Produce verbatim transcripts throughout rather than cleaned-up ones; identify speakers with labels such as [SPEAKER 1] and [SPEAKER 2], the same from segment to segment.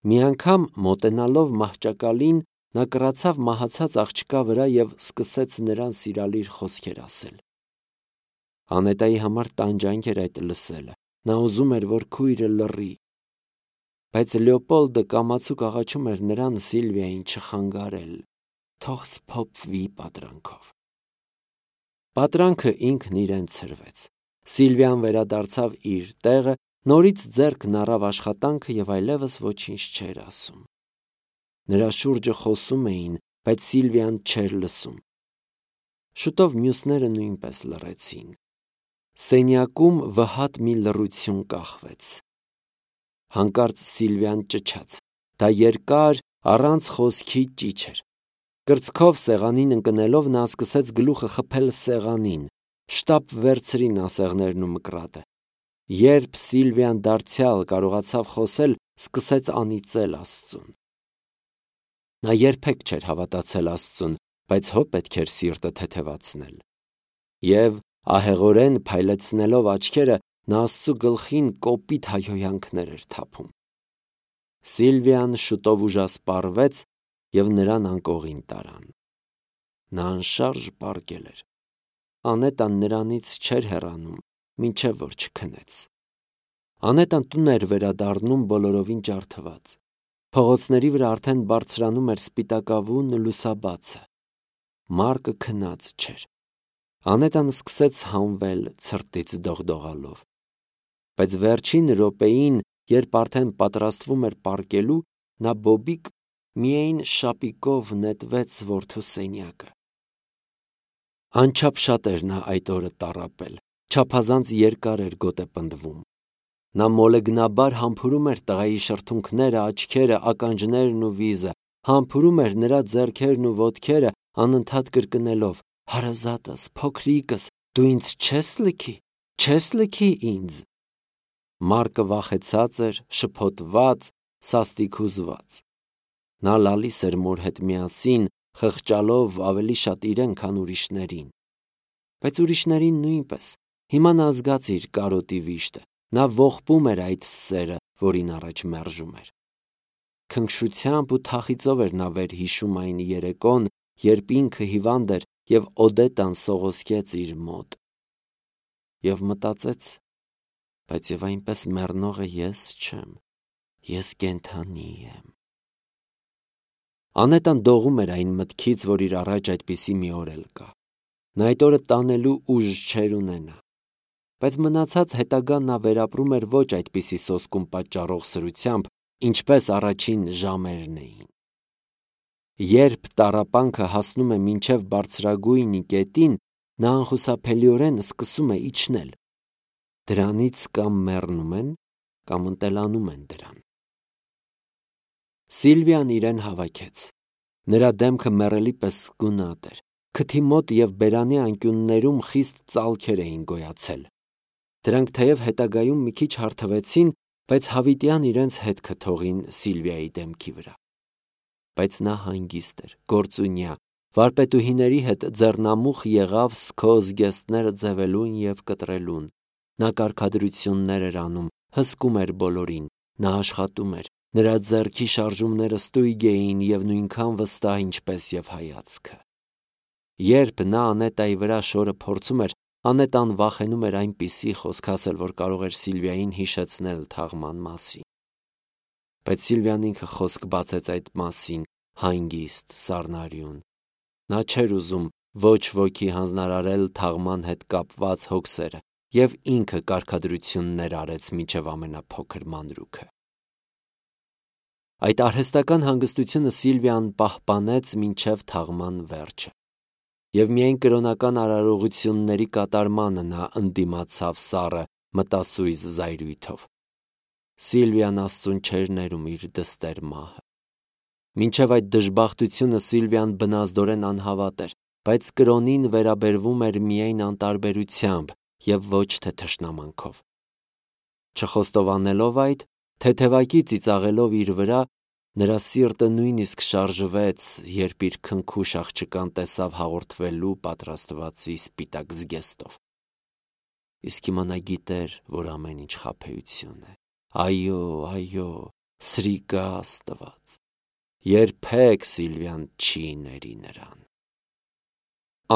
[SPEAKER 1] Մի անգամ մոտենալով մահճակալին նա կռացավ մահացած աղջկա վրա և սկսեց նրան սիրալիր խոսքեր ասել։ Անետայի համար տանջանք էր այդ լսելը, նա ուզում էր, որ քույրը լռի, բայց Լեոպոլդը կամացուկ աղաչում էր նրան Սիլվիային չխանգարել, թող սփոփվի պատրանքով։ Պատրանքը ինքն իրեն ցրվեց։ Սիլվիան վերադարձավ իր տեղը, նորից ձեռքն առավ աշխատանքը և այլևս ոչինչ չէր ասում։ Նրա շուրջը խոսում էին, բայց Սիլվիան չէր լսում։ Շուտով մյուսները նույնպես լռեցին։ Սենյակում վհատ մի լռություն կախվեց։ Հանկարծ Սիլվիան ճչաց։ Դա երկար, առանց խոսքի ճիչ էր։ Կրծքով սեղանին ընկնելով նա սկսեց գլուխը խփել սեղանին։ Շտապ վերցրին ասեղներն ու մկրատը։ Երբ Սիլվիան դարձյալ կարողացավ խոսել, սկսեց անիծել Աստծուն։ Նա երբեք չէր հավատացել Աստծուն, բայց հո պետք էր սիրտը թեթևացնել։ Եվ ահեղորեն փայլեցնելով աչքերը, նա Աստծու գլխին կոպիտ հայհոյանքներ էր թափում։ Սիլվիան շուտով ուժասպառվեց և նրան անկողին տարան։ Նա անշարժ պառկել էր։ Անետան նրանից չէր հեռանում, մինչև որ չքնեց։ Անետան տուն էր վերադառնում բոլորովին ջարդված։ Փողոցների վրա արդեն բարձրանում էր սպիտակավուն լուսաբացը։ Մարկը քնած չէր։ Անետան սկսեց հանվել ցրտից դողդողալով։ Բայց վերջին րոպեին, երբ արդեն պատրաստվում էր պառկելու, նա բոբիկ միայն շապիկով նետվեց որդու սենյակը։ Անչափ շատ էր նա այդ օրը տառապել, չափազանց երկար էր գոտեպնդվում։ Նա մոլեգնաբար համբուրում էր տղայի շրթունքները, աչքերը, ականջներն ու վիզը, համբուրում էր նրա ձեռքերն ու ոտքերը, անընդհատ կրկնելով. «Հարազատս, փոքրիկս, դու ինձ չես լքի, չես լքի ինձ»։ Մարկը վախեցած էր, շփոթված, սաստիկ հուզված։ Նա լալիս էր մոր հետ միասին, խղճալով ավելի շատ իրեն, քան ուրիշներին։ Բայց ուրիշներին նույնպես։ Հիմա նա զգաց իր կարոտի վիշտը։ Նա ողբում էր այդ սերը, որին առաջ մերժում էր։ Քնքշությամբ ու թախիծով էր նա վերհիշում այն երեկոն, երբ ինքը հիվանդ էր և Օդետան սողոսկեց իր մոտ։ Եվ մտածեց. բայց և այնպես մեռնողը ես չեմ, ես կենդանի եմ։ Անետան դողում էր այն մտքից, որ իր առաջ այդպիսի մի օր էլ կա։ Նա այդ օրը տանելու ուժ չէր ունենա։ Բայց մնացած հետագան նա վերապրում էր ոչ այդպիսի սոսկում պատճառող սրությամբ, ինչպես առաջին ժամերն էին։ Երբ տառապանքը հասնում է մինչև բարձրագույն կետին, նա անխուսափելիորեն սկսում է իջնել։ Դրանից կամ մեռնում են, կամ ընտելանում են դրան։ Սիլվիան իրեն հավաքեց։ Նրա դեմքը մեռելի պես գունատ էր։ Քթի մոտ և բերանի անկյուններում խիստ ծալքեր էին գոյացել։ Դրանք թեև հետագայում մի քիչ հարթվեցին, բայց հավիտյան իրենց հետքը թողին Սիլվիայի դեմքի վրա։ Բայց նա հանգիստ էր, գործունյա, վարպետուհիների հետ ձեռնամուխ եղավ սքո զգեստները ձևելուն և կտրելուն։ Նա կարգադրություններ էր անում, հսկում էր բոլորին, նա աշխատում էր, նրա ձեռքի շարժումները ստույգ էին և նույնքան վստահ, ինչպես և հայացքը։ Երբ նա Անետայի վրա շորը փորձում էր, Անետան վախենում էր այնպիսի խոսք ասել, որ կարող էր Սիլվիային հիշեցնել թաղման մասին։ Բայց Սիլվիան ինքը խոսք բացեց այդ մասին, հանգիստ, սառնարյուն։ Նա չէր ուզում ոչ ոքի հանձնարարել թաղման հետ կապված հոգսերը և ինքը կարգադրություններ արեց մինչև ամենափոքր մանրուքը։ Այդ արհեստական հանգստությունը Սիլվիան պահպանեց մինչև թաղման վերջը։ Եվ միայն կրոնական արարողությունների կատարմանը նա ընդդիմացավ սառը, մտասույզ զայրույթով։ Սիլվիան Աստծուն չէր ներում իր դստեր մահը։ Մինչև այդ դժբախտությունը Սիլվիան բնազդորեն անհավատ էր, բայց կրոնին վերաբերվում էր միայն անտարբերությամբ և ոչ թե թշնամանքով։ Չխոստովանելով այդ, թեթևակի ծիծաղելով իր վրա, նրա սիրտը նույնիսկ շարժվեց, երբ իր քնքուշ աղջկան տեսավ հաղորդվելու պատրաստվածի սպիտակ զգեստով։ Իսկ հիմա նա գիտեր, որ ամեն ինչ խաբեություն է։ Այո, այո, Սրիկա Աստված, երբեք Սիլվիան չի ների նրան։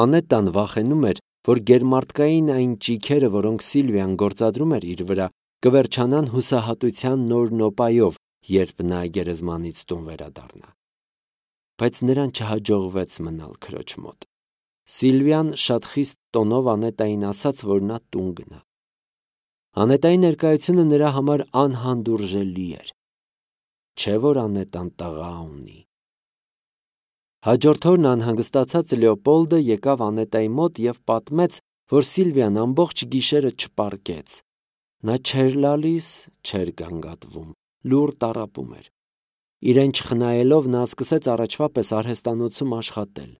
[SPEAKER 1] Անետան վախենում էր, որ գերմարտկային այն ճիգերը, որոնք Սիլվիան գործադրում էր իր վրա, կվերջանան հուսահատության նոր նոպայով, երբ նա գերեզմանից տուն վերադառնա։ Բայց նրան չհաջողվեց մնալ քրոջ մոտ։ Սիլվիան շատ խիստ տոնով Անետային ասաց, որ նա տուն գնա։ Անետայի ներկայությունը նրա համար անհանդուրժելի էր։ Չէ՞ որ Անետան տղա ունի։ Հաջորդ օրն անհանգստացած Լեոպոլդը եկավ Անետայի մոտ և պատմեց, որ Սիլվիան ամբողջ գիշերը չպարկեց։ Նա չէր լալիս, չէր գանգատվում, լուռ տառապում էր։ Իրեն չխնայելով նա սկսեց առաջվա պես արհեստանոցում աշխատել։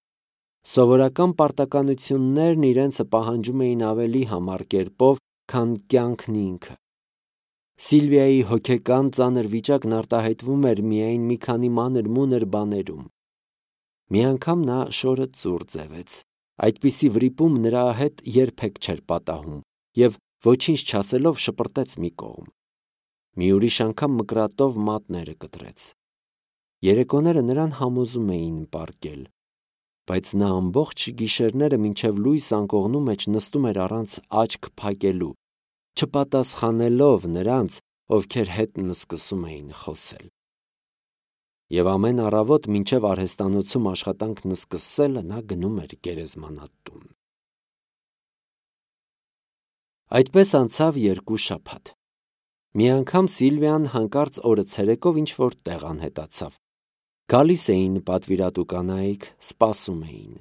[SPEAKER 1] Սովորական պարտականություններն իրենցը պահանջում էին ավելի համառ կերպով, քան կյանքն ինքը։ Սիլվիայի հոգեկան ծանր վիճակն արտահայտվում էր միայն մի քանի մանր-մունր բաներում։ Մի անգամ նա շորը ծուռ ձևեց։ Այդպիսի վրիպում նրա հետ երբեք չէր պատահում և ոչինչ չասելով շպրտեց մի կողմ։ Մի ուրիշ անգամ մկրատով մատները կտրեց։ Երեկոները նրան համոզում էին պարկել, բայց նա ամբողջ գիշերները մինչև լույս անկողնու մեջ նստում էր առանց աչք փակելու, չպատասխանելով նրանց, ովքեր հետն սկսում էին խոսել։ Եվ ամեն առավոտ մինչև արհեստանոցում աշխատանքն սկսելը նա գնում էր գերեզմանատուն։ Այդպես անցավ երկու շաբաթ։ Մի անգամ Սիլվիան հանկարծ օրը ցերեկով ինչ-որ տեղ անհետացավ։ Գալիս էին պատվիրատու կանայք, սպասում էին։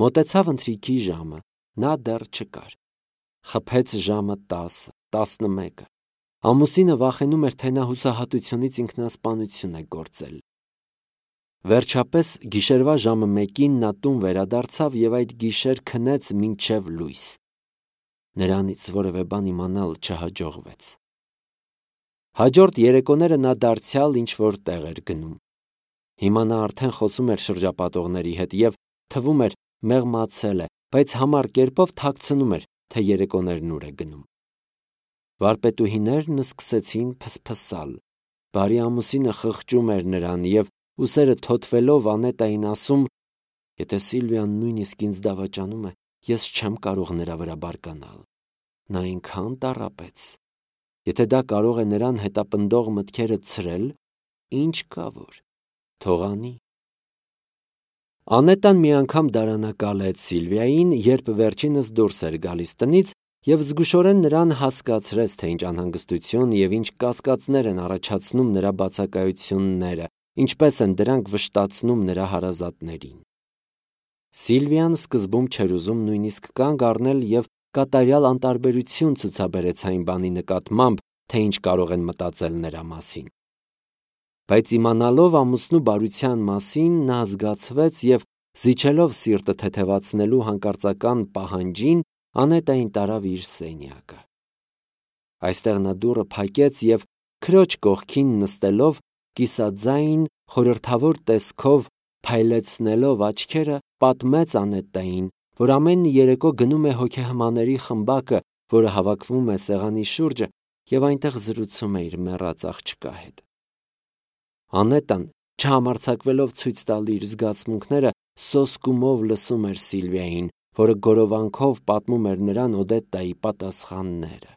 [SPEAKER 1] Մոտեցավ ընթրիքի ժամը, նա դեռ չկար։ Խփեց ժամը տասը, տասնմեկը։ Ամուսինը վախենում էր, թե նա հուսահատությունից ինքնասպանություն է գործել։ Վերջապես գիշերվա ժամը մեկին նա տուն վերադարձավ և այդ գիշեր քնեց մինչև լույս։ Նրանից որևէ բան իմանալ չհաջողվեց։ Հաջորդ երեկոները նա դարձյալ ինչ-որ տեղ էր գնում։ Հիմա նա արդեն խոսում էր շրջապատողների հետ և թվում էր մեղմացել է, բայց համառ կերպով թաքցնում էր, թե երեկոներն ուր է գնում։ Վարպետուհիներն սկսեցին փսփսալ։ Բարի ամուսինը խղճում էր նրան և ուսերը թոթվելով Անետային ասում. «Եթե Սիլվիան նույնիսկ ինձ դավաճանում է, ես չեմ կարող նրա վրա բարկանալ։ Նա այնքան տառապեց։ Եթե դա կարող է նրան հետապնդող մտքերը ցրել, ինչ կա որ, թող անի»։ Անետան մի անգամ դարանակալեց Սիլվիային, երբ վերջինս դուրս էր գալիս տնից և զգուշորեն նրան հասկացրեց, թե ինչ անհանգստություն և ինչ կասկածներ են առաջացնում նրա բացակայությունները, ինչպես են դրանք վշտացնում նրա հարազատներին։ Սիլվիան սկզբում չէր ուզում նույնիսկ կանգ առնել և կատարյալ անտարբերություն ցուցաբերեց այն բանի նկատմամբ, թե ինչ կարող են մտածել նրա մասին։ Բայց իմանալով ամուսնու բարության մասին, նա զգացվեց և զիջելով սիրտը թեթևացնելու հանկարծական պահանջին, Անետային տարավ իր սենյակը։ Այստեղ նա դուռը փակեց և քրոջ կողքին նստելով, կիսաձայն, խորհրդավոր տեսքով փայլեցնելով աչքերը, պատմեց Անետային, որ ամեն երեկո գնում է հոգեհմաների խմբակը, որը հավաքվում է սեղանի շուրջը և այնտեղ զրուցում է իր մեռած աղջկա հետ։ Անետան, չհամարձակվելով ցույց տալ իր զգացմունքները, սոսկումով լսում էր Սիլվիային, որը գորովանքով պատմում էր նրան Օդետայի պատասխանները։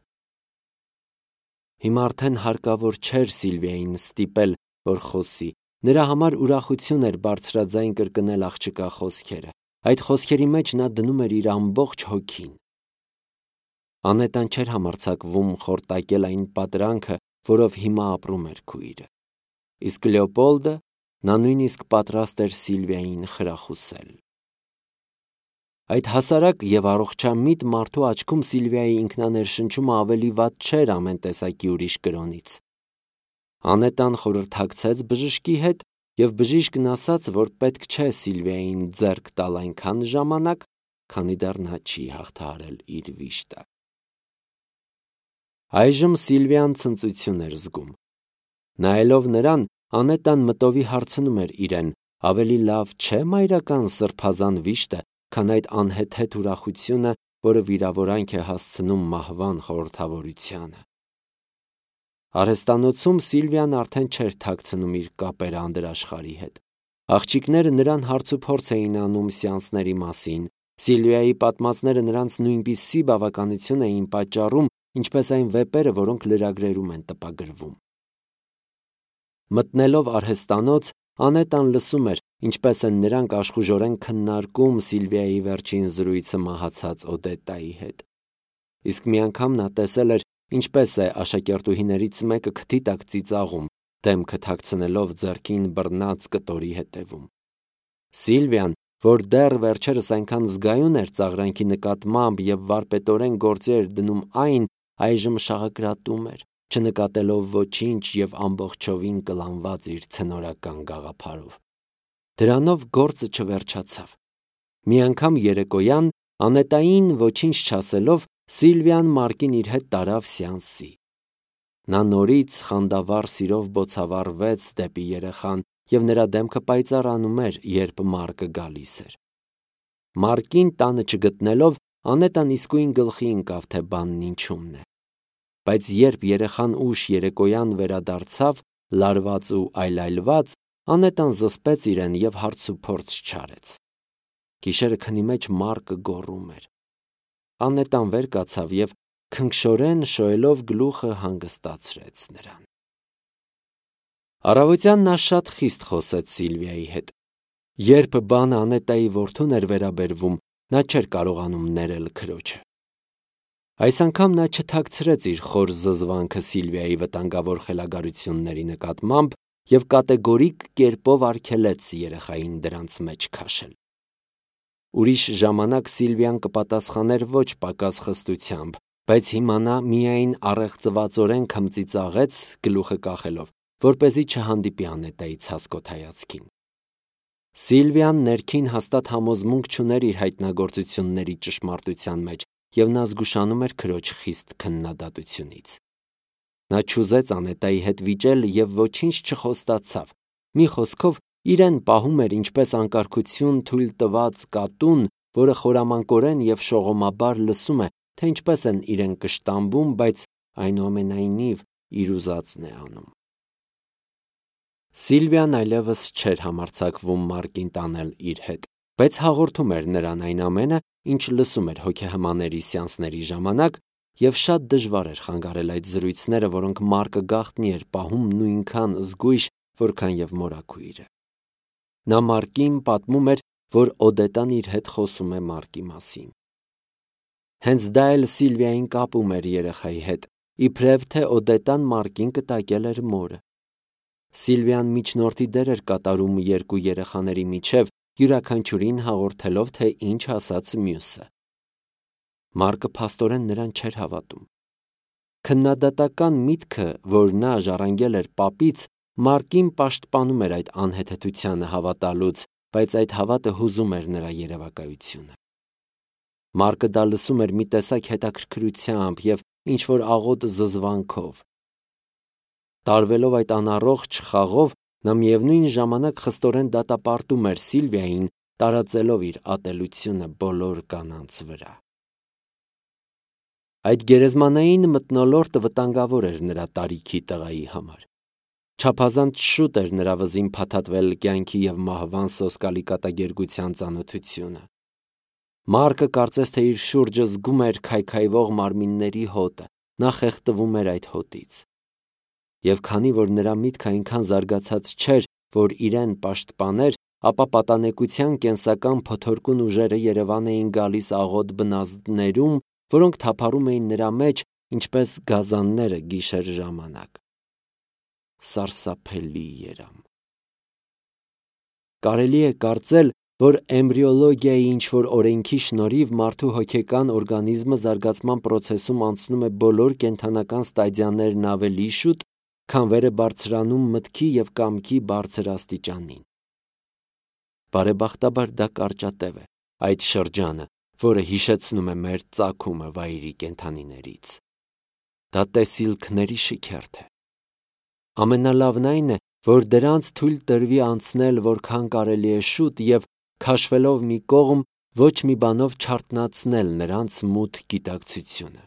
[SPEAKER 1] Հիմա արդեն հարկավոր չէր Սիլվիային ստիպել, որ խոսի։ Նրա համար ուրախություն էր բարձրաձայն կրկնել աղջկա խոսքերը։ Այդ խոսքերի մեջ նա դնում էր իր ամբողջ հոգին։ Անետան չէր համարձակվում խորտակել այն պատրանքը, որով հիմա ապրում էր քույրը։ Իսկ Լեոպոլդը, նա նույնիսկ պատրաստ էր Սիլվիային խրախուսել։ Այդ հասարակ և առողջամիտ մարդու աչքում Սիլվիայի ինքնաներշնչումը ավելի վատ չէր ամեն տեսակի ուրիշ կրոնից։ Անետան խորհրդակցեց բժշկի հետ, և բժիշկն ասաց, որ պետք չէ Սիլվիային ձեռք տալ այնքան ժամանակ, քանի դեռ նա չի հաղթահարել իր վիշտը։ Այժմ Սիլվիան ցնծություն էր զգում։ Նայելով նրան, Անետան մտովի հարցնում էր իրեն. ավելի լավ չէ՞ մայրական սրբազան վիշտը, քան այդ անհեթեթ ուրախությունը, որը վիրավորանք է հասցնում մահվան խորհրդավորությանը։ Արհեստանոցում Սիլվիան արդեն չէր թաքցնում իր կապերը անդրաշխարհի հետ։ Աղջիկները նրան հարցուփորձ էին անում սեանսների մասին, Սիլվիայի պատմածները նրանց նույնպիսի բավականություն էին պատճառում, ինչպես այն վեպերը, որոնք լրագրերում են տպագրվում։ Մտնելով արհեստանոց, Անետան լսում էր, ինչպես են նրանք աշխուժորեն քննարկում Սիլվիայի վերջին զրույցը մահացած Օդետայի հետ։ Իսկ մի անգամ նա տեսել էր, ինչպես է աշակերտուհիներից մեկը քթի տակ ծիծաղում, դեմքը թաքցնելով ձեռքին բռնած կտորի հետևում։ Սիլվիան, որ դեռ վերջերս այնքան զգայուն էր ծաղրանքի նկատմամբ եւ վարպետորեն գործի էր դնում այն, այժմ շաղակրատում էր, չնկատելով ոչինչ եւ ամբողջովին կլանված իր ցնորական գաղափարով։ Դրանով գործը չվերջացավ։ Մի անգամ երեկոյան, Անետային ոչինչ չասելով, Սիլվիան Մարկին իր հետ տարավ սեանսի։ Նա նորից խանդավառ սիրով բոցավառվեց դեպի երեխան եւ նրա դեմքը պայծառանում էր, երբ Մարկը գալիս էր։ Մարկին տանը չգտնելով, Անետան իսկույն գլխի ընկավ, թե բանն ինչումն է։ Բայց երբ երեխան ուշ երեկոյան վերադարձավ, լարված ու այլայլված, Անետան զսպեց իրեն եւ հարցուփորձ չարեց։ Գիշերը քնի մեջ Մարկը գոռում էր։ Անետան վեր կացավ եւ քնքշորեն շոյելով գլուխը հանգստացրեց նրան։ Առավոտյան նա շատ խիստ խոսեց Սիլվիայի հետ։ Երբ բանը Անետայի որդուն էր վերաբերվում, նա չէր կարողանում ներել քրոջը։ Այս անգամ նա չթաքցրեց իր խոր զզվանքը Սիլվիայի վտանգավոր խելագարությունների նկատմամբ եւ կատեգորիկ կերպով արգելեց երեխային դրանց մեջ քաշել։ Ուրիշ ժամանակ Սիլվիան կպատասխաներ ոչ պակաս խստությամբ, բայց հիմա նա միայն առեղծվածորեն քմծիծաղեց գլուխը կախելով, որպեսզի չհանդիպի Անետայի ցասկոտ հայացքին։ Սիլվիան ներքին հաստատ համոզմունք չուներ իր հայտնագործությունների ճշմարտության մեջ, եւ նա զգուշանում էր քրոջ խիստ քննադատությունից։ Նա չուզեց Անետայի հետ վիճել եւ ոչինչ չխոստացավ։ Մի խոսքով, իրեն պահում էր ինչպես անկարգություն թույլ տված կատուն, որը խորամանկորեն եւ շողոմաբար լսում է, թե ինչպես են իրեն կշտամբում, բայց այնուամենայնիվ իր ուզածն է անում։ Սիլվիան այլևս չէր համարձակվում Մարկին տանել իր հետ, բայց հաղորդում էր նրան այն ամենը, ինչ լսում էր հոգեհմաների սեանսների ժամանակ, եւ շատ դժվար էր խանգարել այդ զրույցները, որոնք Մարկը գաղտնի էր պահում նույնքան զգույշ, որքան եւ մորաքույրը։ Նա Մարկին պատմում էր, որ Օդետան իր հետ խոսում է Մարկի մասին։ Հենց դա էլ Սիլվիային կապում էր երեխայի հետ, իբրև թե Օդետան Մարկին կտակել էր մորը։ Սիլվիան միջնորդի դեր էր կատարում երկու երեխաների միջև, յուրաքանչյուրին հաղորդելով, թե ինչ ասաց մյուսը։ Մարկը փաստորեն նրան չէր հավատում։ Քննադատական միտքը, որ նա ժառանգել էր պապից, Մարկին պաշտպանում էր այդ անհեթեթությանը հավատալուց, բայց այդ հավատը հուզում էր նրա երևակայությունը։ Մարկը դա լսում էր մի տեսակ հետաքրքրությամբ եւ ինչ-որ աղոտ զզվանքով։ Տարվելով այդ անառողջ խաղով, նա միևնույն ժամանակ խստորեն դատապարտում էր Սիլվիային, տարածելով իր ատելությունը բոլոր կանանց վրա։ Այդ գերեզմանային մթնոլորտը վտանգավոր էր նրա տարիքի տղայի համար։ Չափազանց շուտ էր նրա վզին փաթաթվել կյանքի եւ մահվան սոսկալի կատակերգության ծանոթությունը։ Մարկը կարծես թե իր շուրջը զգում էր քայքայվող մարմինների հոտը, նա խեղդվում էր այդ հոտից։ Եվ քանի որ նրա միտքը այնքան զարգացած չէր, որ իրեն պաշտպաներ, ապա պատանեկության կենսական փոթորկուն ուժերը Երևան էին գալիս աղոտ բնազդներում, որոնք թափառում էին նրա մեջ, ինչպես գազանները գիշեր ժամանակ։ Սարսափելի երամ։ Կարելի է կարծել, որ էմբրիոլոգիայի ինչ-որ օրենքի շնորհիվ մարդու հոգեկան օրգանիզմը զարգացման պրոցեսում անցնում է բոլոր կենդանական ստադիաներն ավելի շուտ, քան վեր է բարձրանում մտքի եւ կամքի բարձր աստիճանին։ Բարեբախտաբար դա կարճատև է, այդ շրջանը, որը հիշեցնում է մեր ծագումը վայրի կենդանիներից։ Դա տեսիլքների շիքերթ է։ Ամենալավն այն է, որ դրանց թույլ տրվի անցնել որքան կարելի է շուտ եւ քաշվելով մի կողմ ոչ մի բանով չարթնացնել նրանց մութ գիտակցությունը։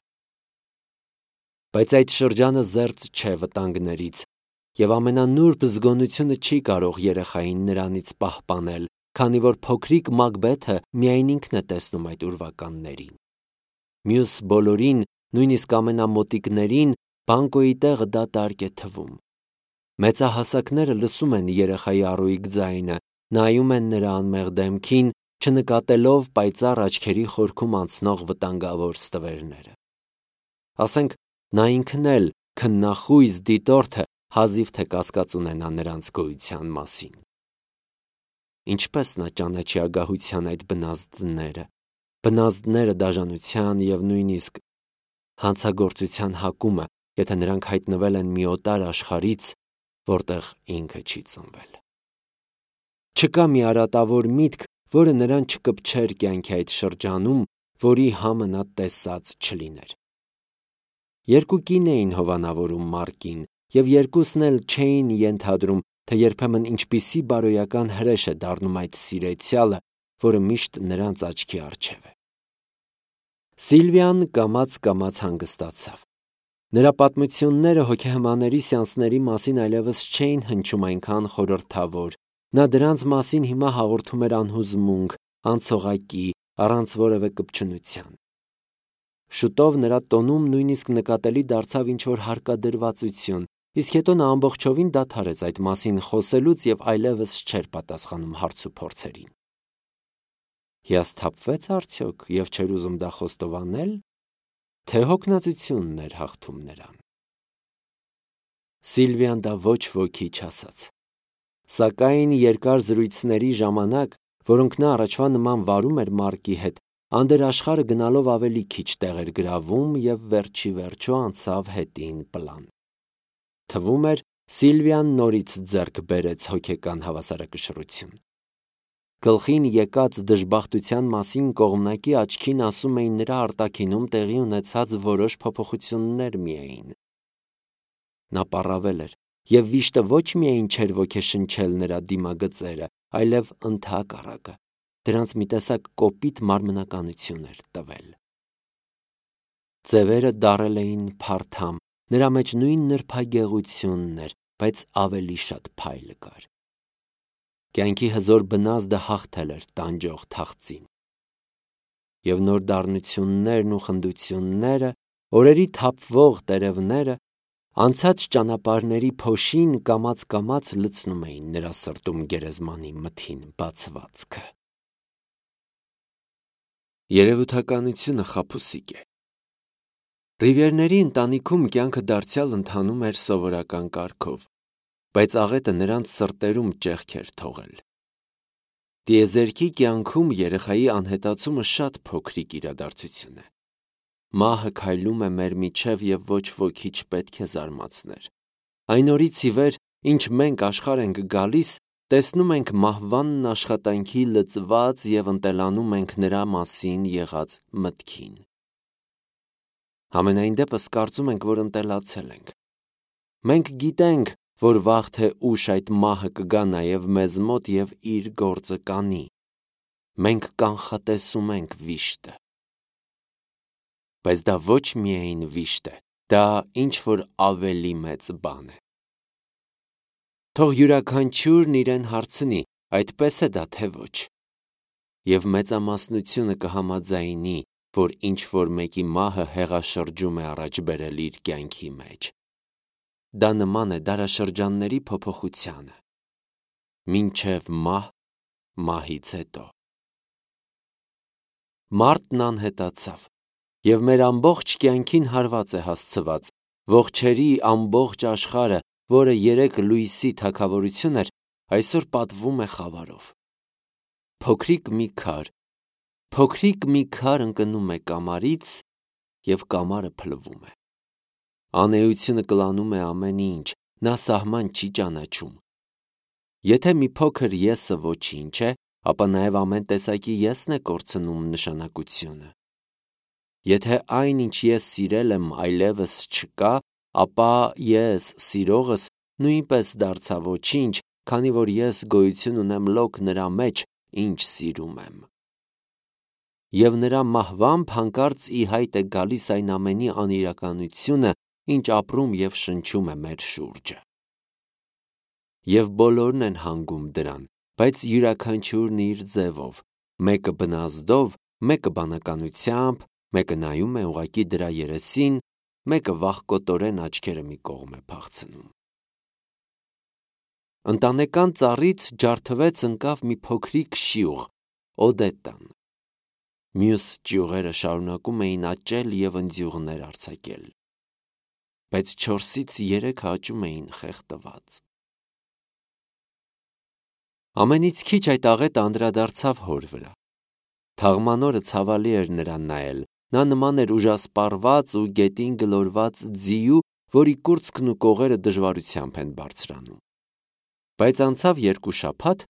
[SPEAKER 1] Բայց այդ շրջանը զերծ չէ վտանգներից, եւ ամենանուրբ զգոնությունը չի կարող երեխային նրանից պահպանել, քանի որ փոքրիկ Մակբեթը միայն ինքն է տեսնում այդ ուրվականներին։ Մյուս բոլորին, նույնիսկ ամենամոտիկներին, բանկոյի տեղը դատարկ է թվում։ Մեծահասակները լսում են երեխայի առույգ ձայնը, նայում են նրա անմեղ դեմքին, չնկատելով պայծառ աչքերի խորքում անցնող վտանգավոր ստվերները։ Ասենք, նա ինքն էլ քննախույզ դիտորդը հազիվ թե կասկած ունենա նրանց գոյության մասին։ Ինչպես նա ճանաչի ագահության այդ բնազդները, բնազդները դաժանության եւ նույնիսկ հանցագործության հակումը, եթե նրանք հայտնվել են մի օտար աշխարհից, որտեղ ինքը չի ծնվել։ Չկա մի արատավոր միտք, որը նրան չկպչեր կյանքի այդ շրջանում, որի համը նա տեսած չլիներ։ Երկու կին էին հովանավորում Մարկին, եւ երկուսն էլ չէին ենթադրում, թե երբեմն ինչպիսի բարոյական հրեշ է դառնում այդ սիրեցյալը, որը միշտ նրանց աչքի առջև է։ Սիլվիան կամաց-կամաց հանգստացավ։ Նրա պատմությունները հոգեհմաների սեանսների մասին այլևս չէին հնչում այնքան խորհրդավոր, նա դրանց մասին հիմա հաղորդում էր անհուզմունք, անցողակի, առանց որևէ կպչունության։ Շուտով նրա տոնում նույնիսկ նկատելի դարձավ ինչ-որ հարկադրվածություն, իսկ հետո նա ամբողջովին դադարեց այդ մասին խոսելուց եւ այլևս չէր պատասխանում հարցուփորձերին։ Հիասթափվեց արդյոք եւ չէր ուզում դա խոստովանել, թե հոգնածությունն էր հաղթում նրան։ Սիլվիան դա ոչ ոքի չասաց։ Սակայն երկար զրույցների ժամանակ, որոնք նա առաջվա նման վարում էր Մարկի հետ, անդերաշխարհը գնալով ավելի քիչ տեղ էր գրավում եւ վերջի վերջո անցավ հետին պլան։ Թվում էր, Սիլվիան նորից ձեռք բերեց հոգեկան հավասարակշռություն։ Գլխին եկած դժբախտության մասին կողմնակի աչքին ասում էին նրա արտաքինում տեղի ունեցած որոշ փոփոխություններ միայն։ Նա պառավել էր, եւ վիշտը ոչ միայն չէր ոգեշնչել նրա դիմագծերը, այլև ընդհակառակը, դրանց մի տեսակ կոպիտ մարմնականություն էր տվել։ Ձևերը դարել էին փարթամ, նրա մեջ նույն նրբագեղությունն էր, բայց ավելի շատ փայլ կար։ Կյանքի հզոր բնազդը հաղթել էր տանջող թախծին։ Եվ նոր դառնություններն ու խնդությունները, օրերի թափվող տերևները, անցած ճանապարհների փոշին կամաց-կամաց լցնում էին նրա սրտում գերեզմանի մթին բացվածքը։ Երևութականությունը խաբուսիկ է։ Ռիվիերների ընտանիքում կյանքը դարձյալ ընթանում էր սովորական կարգով, բայց աղետը նրանց սրտերում ճեղք էր թողել։ Տիեզերքի կյանքում երեխայի անհետացումը շատ փոքրիկ իրադարձություն է։ Մահը քայլում է մեր միջև եւ ոչ ոքի չպետք է զարմացներ։ Այն օրից ի վեր, ինչ մենք աշխարհ ենք գալիս, տեսնում ենք մահվանն աշխատանքի լծված եւ ընտելանում ենք նրա մասին եղած մտքին։ Համենայն դեպս կարծում ենք, որ ընտելացել ենք։ Մենք գիտենք, որ վաղ թե ուշ այդ մահը կգա նաև մեզ մոտ եւ իր գործը կանի։ Մենք կանխատեսում ենք վիշտը։ Բայց դա ոչ միայն վիշտ է, դա ինչ-որ ավելի մեծ բան է։ Թող յուրաքանչյուրն իրեն հարցնի, այդպես է դա թե ոչ։ Եվ մեծամասնությունը կհամաձայնի, որ ինչ-որ մեկի մահը հեղաշրջում է առաջ բերել իր կյանքի մեջ։ Դա նման է դարաշրջանների փոփոխությանը։ Մինչև մահ, մահից հետո։ Մարտն անհետացավ, եւ մեր ամբողջ կյանքին հարված է հասցված, ողջերի ամբողջ աշխարհը, որը երեք լույսի թագավորություն էր, այսօր պատվում է խավարով։ Փոքրիկ մի քար, փոքրիկ մի քար ընկնում է կամարից, եւ կամարը փլվում է։ Անեությունը կլանում է ամեն ինչ, նա սահման չի ճանաչում։ Եթե մի փոքր եսը ոչինչ է, ապա նաև ամեն տեսակի եսն է կորցնում նշանակությունը։ Եթե այն, ինչ ես սիրել եմ, այլևս չկա, ապա ես, սիրողս, նույնպես դարձա ոչինչ, քանի որ ես գոյություն ունեմ լոկ նրա մեջ, ինչ սիրում եմ։ Եվ նրա մահվամբ հանկարծ ի հայտ է գալիս այն ամենի անիրականությունը, ինչ ապրում և շնչում է մեր շուրջը։ Եվ բոլորն են հանգում դրան, բայց յուրաքանչյուրն իր ձևով, մեկը բնազդով, մեկը բանականությամբ, մեկը նայում է ուղղակի դրա երեսին, մեկը վախկոտորեն աչքերը մի կողմ է փախցնում։ Ընտանեկան ծառից ջարդվեց ընկավ մի փոքրիկ շիուղ, Օդետտան։ Մյուս ճյուղերը շարունակում էին աճել և ընձյուղներ արձակել, բայց չորսից երեքը աճում էին խեղդված։ Ամենից քիչ այդ աղետը անդրադարձավ հոր վրա։ Թաղմանորը ցավալի էր նրան նայել, նա նման էր ուժասպառված ու գետին գլորված ձիու, որի կուրծքն ու կողերը դժվարությամբ են բարձրանում։ Բայց անցավ երկու շաբաթ,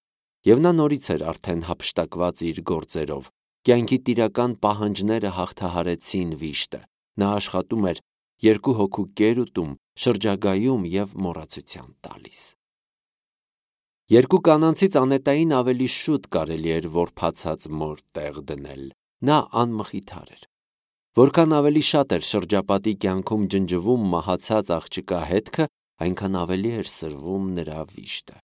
[SPEAKER 1] և նա նորից էր արդեն հափշտակված իր գործերով, կյանքի տիրական պահանջները հաղթահարեցին վիշտը, նա աշխատում էր, երկու հոգու կեր ուտում, շրջագայում և մոռացության տալիս։ Երկու կանանցից Անետային ավելի շուտ կարելի էր որբացած մոր տեղ դնել, նա անմխիթար էր։ Որքան ավելի շատ էր շրջապատի կյանքում ջնջվում մահացած աղջկա հետքը, այնքան ավելի էր սրվում նրա վիշտը։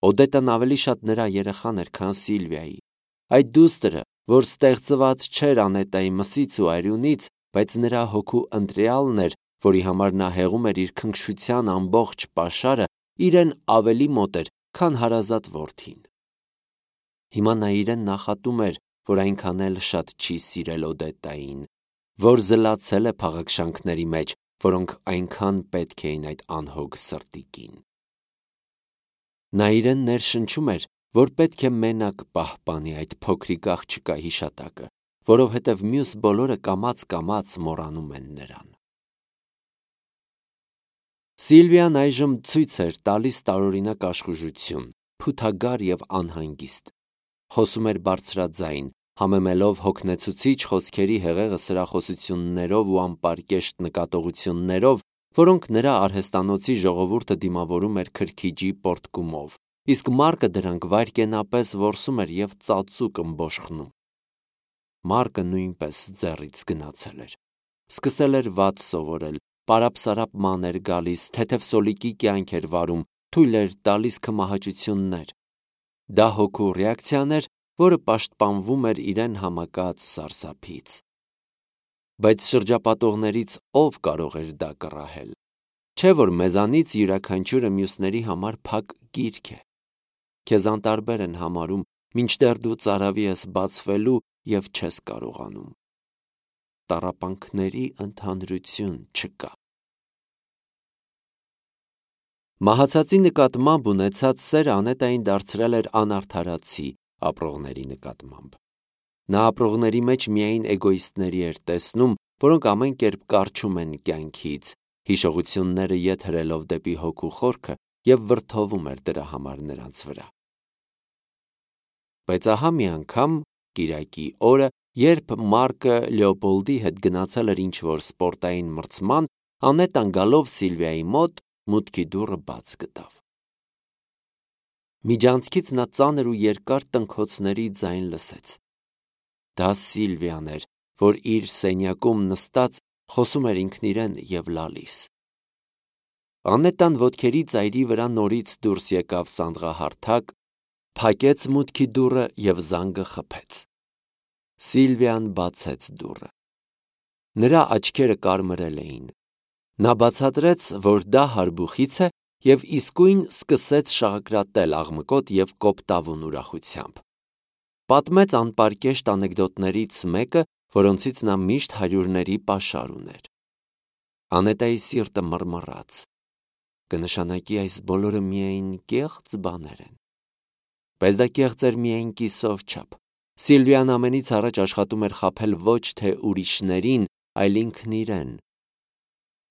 [SPEAKER 1] Օդետան ավելի շատ նրա երեխան էր, քան Սիլվիայի, այդ դուստրը, որ ստեղծված չէր Անետայի մսից ու արյունից, բայց նրա հոգու ընտրյալն էր, որի համար նա հեղում էր իր քնքշության ամբողջ պաշարը, իրեն ավելի մոտ էր, քան հարազատ որդին։ Հիմա նա իրեն նախատում էր, որ այնքան էլ շատ չի սիրել Օդետային, որ զլացել է փաղաքշանքների մեջ, որոնք այնքան պետք էին այդ անհոգ սրտիկին։ Նա իրեն ներշնչում էր, որ պետք է մենակ պահպանի այդ փոքրիկ աղջկա հիշատակը, որովհետև մյուս բոլորը կամաց-կամաց մոռանում են նրան։ Սիլվիան այժմ ցույց էր տալիս տարօրինակ աշխուժություն, փութագար և անհանգիստ։ Խոսում էր բարձրաձայն, համեմելով հոգնեցուցիչ խոսքերի հեղեղը սրախոսություններով ու անպարկեշտ նկատողություններով, որոնք նրա արհեստանոցի ժողովուրդը դիմավորում էր քրքիջի պոռթկումով, իսկ Մարկը դրանք վայրկենապես որսում էր և ծածուկ ըմբոշխնում։ Մարկը նույնպես ձեռից գնացել էր։ Սկսել էր վատ սովորել, պարապ-սարապ ման էր գալիս, թեթև սոլիկի կյանք էր վարում, թույլ էր տալիս քմահաճություններ։ Դա հոգու ռեակցիան էր, որը պաշտպանվում էր իրեն համակած սարսափից։ Բայց շրջապատողներից ով կարող էր դա կռահել։ Չէ՞ որ մեզանից յուրաքանչյուրը մյուսների համար փակ գիրք է։ Քեզ անտարբեր են համարում, մինչդեռ դու ծարավի ես բացվելու և չես կարողանում։ Տառապանքների ընդհանրություն չկա։ Մահացածի նկատմամբ ունեցած սերը Անետային դարձրել էր անարդարացի ապրողների նկատմամբ։ Նա ապրողների մեջ միայն էգոիստների էր տեսնում, որոնք ամեն կերպ կառչում են կյանքից, հիշողությունները ետ հրելով դեպի հոգու խորքը և վրդովում էր դրա համար նրանց վրա։ Բայց ահա մի անգամ, կիրակի օրը, երբ Մարկը Լեոպոլդի հետ գնացել էր ինչ-որ սպորտային մրցման, Անետան գալով Սիլվիայի մոտ մուտքի դուռը բաց գտավ։ Միջանցքից նա ծանր ու երկար տնքոցների ձայն լսեց։ Դա Սիլվիան էր, որ իր սենյակում նստած խոսում էր ինքն իրեն և լալիս։ Անետան ոտքերի ծայրի վրա նորից դուրս եկավ սանդղահարթակ, փակեց մուտքի դուռը և զանգը խփեց։ Սիլվիան բացեց դուռը։ Նրա աչքերը կարմրել էին։ Նա բացատրեց, որ դա հարբուխից է և իսկույն սկսեց շաղակրատել աղմկոտ և կոպտավուն ուրախությամբ։ Պատմեց անպարկեշտ անեկդոտներից մեկը, որոնցից նա միշտ հարյուրների պաշար ուներ։ Անետայի սիրտը մռմռաց։ Կնշանակի այս բոլորը միայն կեղծ բաներ են։ Բայց դա կեղծ էր միայն կիսով չափ։ Սիլվիան ամենից առաջ աշխատում էր խաբել ոչ թե ուրիշներին, այլ ինքն իրեն։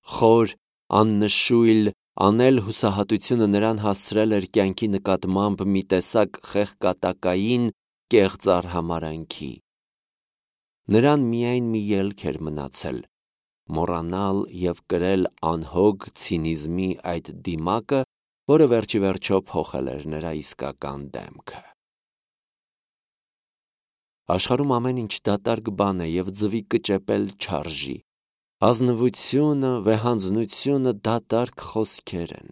[SPEAKER 1] Խոր, աննշույլ, անել-հուսահատությունը նրան հասցրել էր կյանքի նկատմամբ մի տեսակ խեղկատակային, կեղծ արհամարհանքի։ Նրան միայն մի ելք էր մնացել՝ մոռանալ և կրել անհոգ ցինիզմի այդ դիմակը, որը վերջիվերջո փոխել էր նրա իսկական դեմքը։ Աշխարհում ամեն ինչ դատարկ բան է և ձվի կճեպել չարժի։ Ազնվությունը, վեհանձնությունը դատարկ խոսքեր են։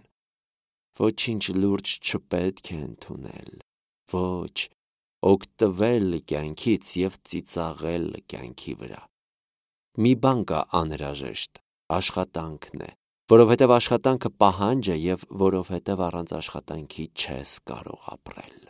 [SPEAKER 1] Ոչինչ լուրջ չպետք է ընդունել, ոչ, օգտվել կյանքից և ծիծաղել կյանքի վրա։ Մի բան կա անհրաժեշտ, աշխատանքն է, որովհետև աշխատանքը պահանջ է և որովհետև առանց աշխատանքի չես կարող ապրել։